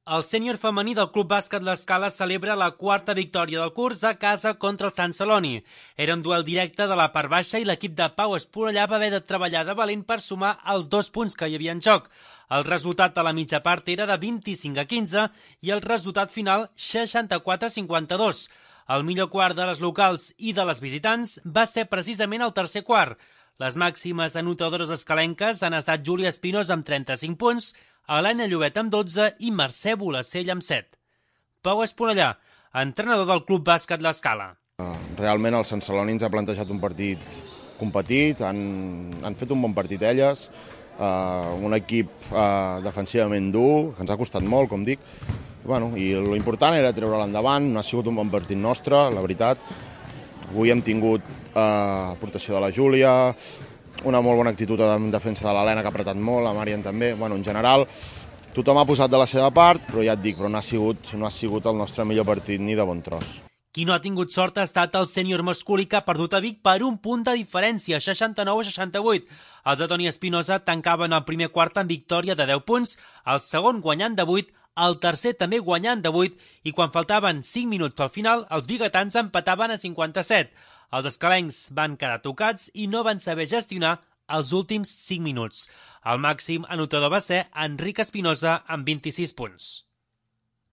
El sènior femení del Club Bàsquet L'Escala celebra la quarta victòria del curs a casa contra el Sant Celoni. Era un duel directe de la part baixa i l'equip de Pau Esponellà va haver de treballar de valent per sumar els 2 punts que hi havia en joc. El resultat a la mitja part era de 25-15 i el resultat final 64-52. El millor quart de les locals i de les visitants va ser precisament el tercer quart. Les màximes anotadores escalenques han estat Júlia Espinosa amb 35 punts, Helena Llobet amb 12 i Mercè Bolacell amb 7. Pau Esponellà, entrenador del Club Bàsquet L'Escala. Realment el Sant Celoni ens ha plantejat un partit competit, han fet un bon partit elles, un equip defensivament dur, que ens ha costat molt, com dic, i l'important era treure-la endavant, no ha sigut un bon partit nostre, la veritat. Avui hem tingut aportació de la Júlia, una molt bona actitud en defensa de l'Helena, que ha apretat molt, la Marian també. En general, tothom ha posat de la seva part, però ja et dic, no ha sigut el nostre millor partit ni de bon tros. Qui no ha tingut sort ha estat el sènior masculí, que ha perdut a Vic per un punt de diferència, 69-68. Els de Toni Espinosa tancaven el primer quart amb victòria de 10 punts, el segon guanyant de 8, el tercer també guanyant de 8, i quan faltaven 5 minuts pel final, els biguetans empataven a 57. Els escalencs van quedar tocats i no van saber gestionar els últims 5 minuts. El màxim anotador va ser Enric Espinosa amb 26 punts.